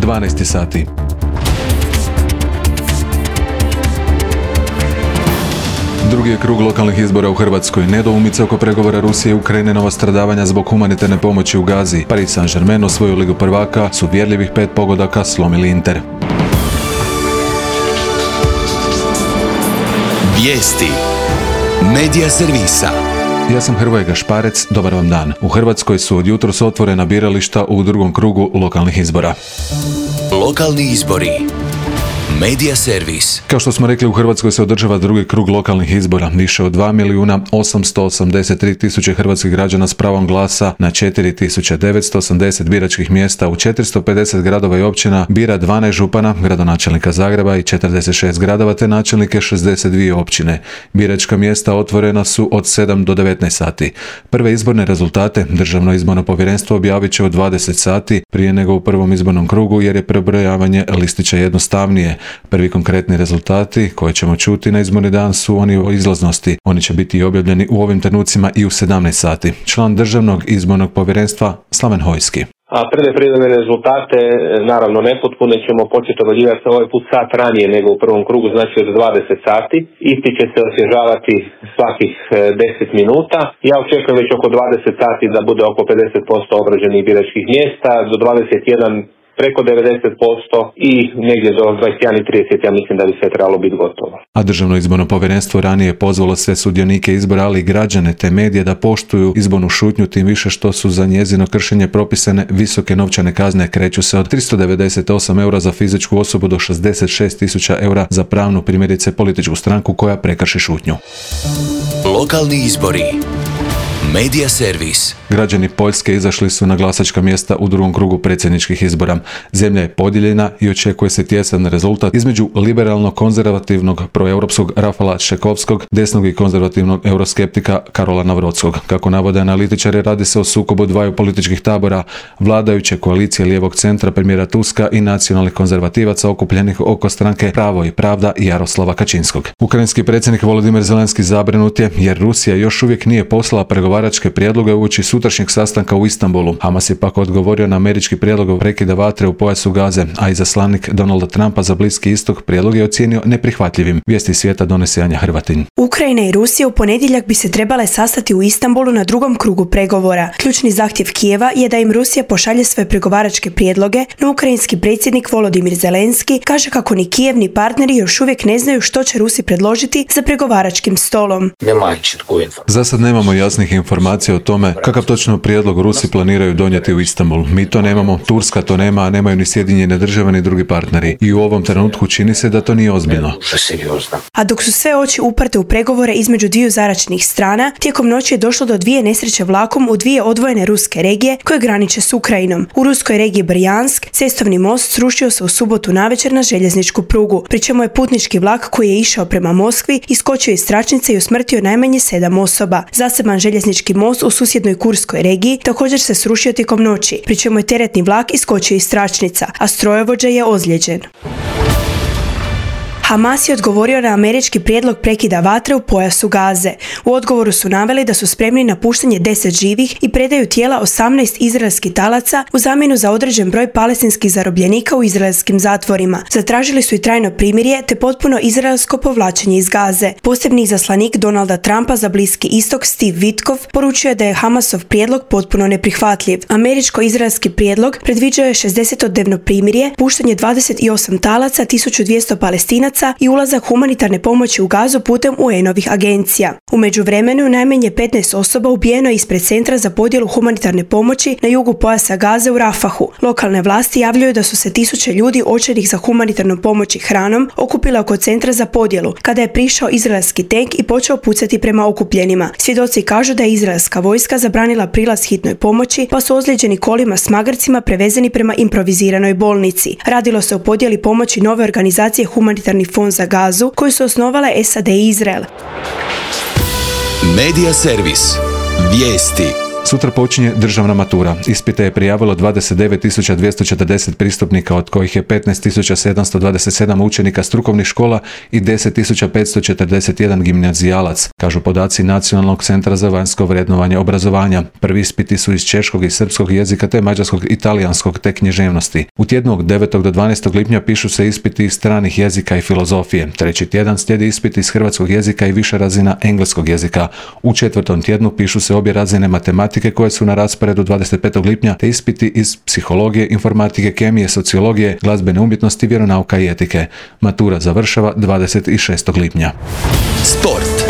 12 sati. Drugi je krug lokalnih izbora u Hrvatskoj. Nedoumice oko pregovora Rusije i Ukrajine, nova stradavanja zbog humanitarne pomoći u Gazi. Paris Saint-Germain osvojio Ligu prvaka, su uvjerljivih 5 pogodaka slomili Inter. Vijesti Medija servisa. Ja sam Hrvoje Gašparec, dobar vam dan. U Hrvatskoj su od jutros otvorena birališta u drugom krugu lokalnih izbora. Lokalni izbori. Medija servis. Kao što smo rekli, u Hrvatskoj se održava drugi krug lokalnih izbora. Više od 2.883.000 hrvatskih građana s pravom glasa na 4.980 biračkih mjesta u 450 gradova i općina bira 12 župana, gradonačelnika Zagreba i 46 gradova te načelnike 62 općine. Biračka mjesta otvorena su od 7 do 19 sati. Prve izborne rezultate Državno izborno povjerenstvo objavit će u 20 sati prije nego u prvom izbornom krugu jer je prebrojavanje listića jednostavnije. Prvi konkretni rezultati koje ćemo čuti na izborni dan su oni o izlaznosti. Oni će biti objavljeni u ovim trenucima i u 17 sati. Član Državnog izbornog povjerenstva Slaven Hojski. A prve rezultate, naravno nepotpune, ćemo početi objavljivati ovaj put sat ranije nego u prvom krugu, znači od 20 sati. Isti će se osvježavati svakih 10 minuta. Ja očekujem već oko 20 sati da bude oko 50% obrađenih biračkih mjesta, do 21 preko 90% i negdje do 21.30 ja mislim da bi sve trebalo biti gotovo. A Državno izborno povjerenstvo ranije je pozvalo sve sudionike izbora, ali i građane te medije da poštuju izbornu šutnju, tim više što su za njezino kršenje propisane visoke novčane kazne, kreću se od 398 eura za fizičku osobu do 66.000 eura za pravnu, primjerice političku stranku koja prekrši šutnju. Lokalni izbori. Medija servis. Građani Poljske izašli su na glasačka mjesta u drugom krugu predsjedničkih izbora. Zemlja je podijeljena i očekuje se tjesan rezultat između liberalno-konzervativnog proeuropskog Rafala Čekovskog, desnog i konzervativnog euroskeptika Karola Navrodskog. Kako navode analitičari, radi se o sukobu dvaju političkih tabora, vladajuće koalicije lijevog centra premijera Tuska i nacionalnih konzervativaca okupljenih oko stranke Pravo i pravda i Jaroslava Kačinskog. Ukrajinski predsjednik Volodimir Zelenski zabrinut je jer Rusija još uvijek nije poslala pregovaračke prijedloge uoči sutrašnjeg sastanka u Istanbulu. Hamas je pak odgovorio na američki prijedlog prekida vatre u pojasu Gaze, a izaslanik Donalda Trumpa za Bliski istok prijedlog je ocijenio neprihvatljivim. Vijesti svijeta donese Anja Hrvatin. Ukrajina i Rusija u ponedjeljak bi se trebale sastati u Istanbulu na drugom krugu pregovora. Ključni zahtjev Kijeva je da im Rusija pošalje svoje pregovaračke prijedloge, no ukrajinski predsjednik Volodimir Zelenski kaže kako ni Kijev ni partneri još uvijek ne znaju što će Rusi predložiti za pregovaračkim stolom. Za sad nemamo jasnih informacija o tome kakav točno prijedlog Rusi planiraju donijeti u Istanbul. Mi to nemamo, Turska to nema, a nemaju ni Sjedinjene države ni drugi partneri. I u ovom trenutku čini se da to nije ozbiljno. A dok su sve oči uprte u pregovore između dviju zaračnih strana, tijekom noći je došlo do dvije nesreće vlakom u dvije odvojene ruske regije koje graniče s Ukrajinom. U ruskoj regiji Brjansk cestovni most srušio se u subotu navečer na željezničku prugu, pri čemu je putnički vlak koji je išao prema Moskvi iskočio iz tračnice i usmrtio najmanje 7 osoba. Zaseban željeznički most u susjednoj Kurskoj regiji također se srušio tijekom noći, pri čemu je teretni vlak iskočio iz tračnica, a strojovođa je ozlijeđen. Hamas je odgovorio na američki prijedlog prekida vatre u pojasu Gaze. U odgovoru su naveli da su spremni na puštanje 10 živih i predaju tijela 18 izraelskih talaca u zamjenu za određen broj palestinskih zarobljenika u izraelskim zatvorima. Zatražili su i trajno primirje te potpuno izraelsko povlačenje iz Gaze. Posebni izaslanik Donalda Trumpa za Bliski istok Steve Witkoff poručio je da je Hamasov prijedlog potpuno neprihvatljiv. Američko-izraelski prijedlog predviđao je 60-dnevno primirje, puštanje 28 talaca, 1200 Palestinaca i ulazak humanitarne pomoći u Gazu putem UN-ovih agencija. U međuvremenu najmanje 15 osoba ubijeno je ispred centra za podjelu humanitarne pomoći na jugu pojasa Gaze u Rafahu. Lokalne vlasti javljaju da su se tisuće ljudi očajnih za humanitarnu pomoć i hranom okupile oko centra za podjelu kada je prišao izraelski tank i počeo pucati prema okupljenima. Svjedoci kažu da je izraelska vojska zabranila prilaz hitnoj pomoći, pa su ozlijeđeni kolima s magarcima prevezeni prema improviziranoj bolnici. Radilo se o podjeli pomoći nove organizacije Humanitarni fond za Gazu koju su osnovale SAD i Izrael. Medija servis. Vijesti. Sutra počinje državna matura. Ispite je prijavilo 29.240 pristupnika, od kojih je 15.727 učenika strukovnih škola i 10.541 gimnazijalac, kažu podaci Nacionalnog centra za vanjsko vrednovanje obrazovanja. Prvi ispiti su iz češkog i srpskog jezika te mađarskog i talijanskog te književnosti. U tjednu od 9. do 12. lipnja pišu se ispiti iz stranih jezika i filozofije. Treći tjedan slijedi ispiti iz hrvatskog jezika i više razina engleskog jezika. U četvrtom tjednu pišu se obje razine matematike koje su na rasporedu 25. lipnja te ispiti iz psihologije, informatike, kemije, sociologije, glazbene umjetnosti, vjeronauka i etike. Matura završava 26. lipnja. Sport.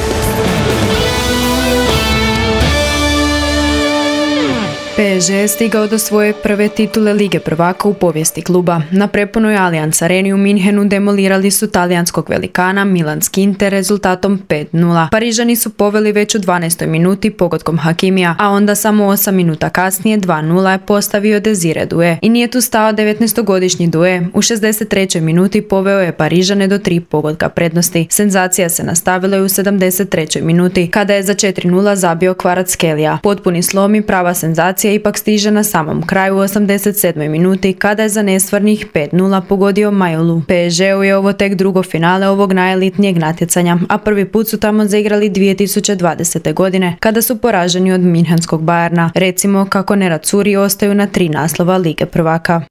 PSG je stigao do svoje prve titule Lige prvaka u povijesti kluba. Na prepunoj Allianz Areni u Minhenu demolirali su talijanskog velikana Milanski Inter rezultatom 5:0. Parižani su poveli već u 12. minuti pogodkom Hakimija, a onda samo 8 minuta kasnije 2:0 je postavio Desire Doué. I nije tu stao 19-godišnji Doué. U 63. minuti poveo je Parižane do 3 pogotka prednosti. Senzacija se nastavila i u 73. minuti, kada je za 4:0 zabio Kvaratskhelia. Potpuni slom i prava senzacija ipak stiže na samom kraju u 87. minuti, kada je za nestvarnih 5:0 pogodio Majolu. PSG-u je ovo tek drugo finale ovog najelitnijeg natjecanja, a prvi put su tamo zaigrali 2020. godine, kada su poraženi od Minhenskog Bayerna. Recimo kako neracuri ostaju na 3 naslova Lige prvaka.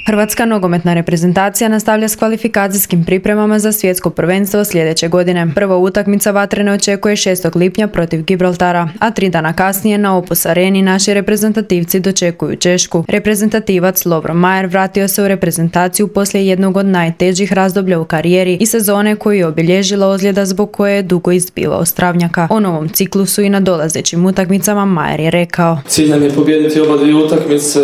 Hrvatska nogometna reprezentacija nastavlja s kvalifikacijskim pripremama za svjetsko prvenstvo sljedeće godine. Prva utakmica Vatrene očekuje 6. lipnja protiv Gibraltara, a 3 dana kasnije na Opus Areni naši reprezentativci dočekuju Češku. Reprezentativac Lovro Majer vratio se u reprezentaciju poslije jednog od najtežih razdoblja u karijeri i sezone koju je obilježila ozljeda zbog koje je dugo izbivao s travnjaka. O novom ciklusu i nadolazećim utakmicama Majer je rekao: Cilj nam je pobijediti oba dvije utakmice,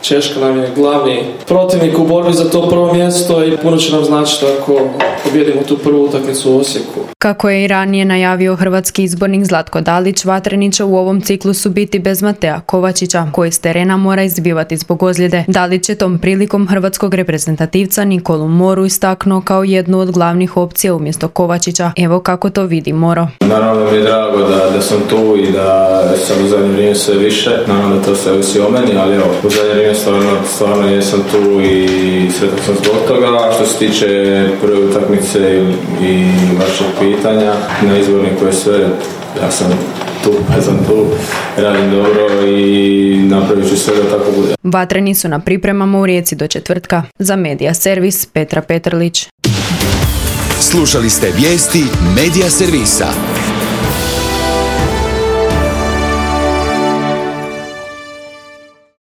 Češka nam je glavni protivnik u borbi za to prvo mjesto i puno će nam značiti ako pobijedimo tu prvu utakmicu u Osijeku. Kako je i ranije najavio hrvatski izbornik Zlatko Dalić, Vatreni će u ovom ciklusu biti bez Matea Kovačića, koji s terena mora izbivati zbog ozljede. Dalić je tom prilikom hrvatskog reprezentativca Nikolu Moru istaknuo kao jednu od glavnih opcija umjesto Kovačića. Evo kako to vidi Moro. Naravno mi je drago da sam tu i da sam u zadnje vrijeme sve više. Naravno da to sve ovisi o meni, ali evo, u zadnje vrijeme stvarno jesam tu i sretan sam zbog toga. Što se tiče prve utakmice i vašeg pitanja, na izborniku je sve, ja sam tu, radim dobro i napravit ću sve da tako bude. Vatreni su na pripremama u Rijeci do četvrtka. Za Medija Servis Petra Petrlić. Slušali ste vijesti Medija Servisa.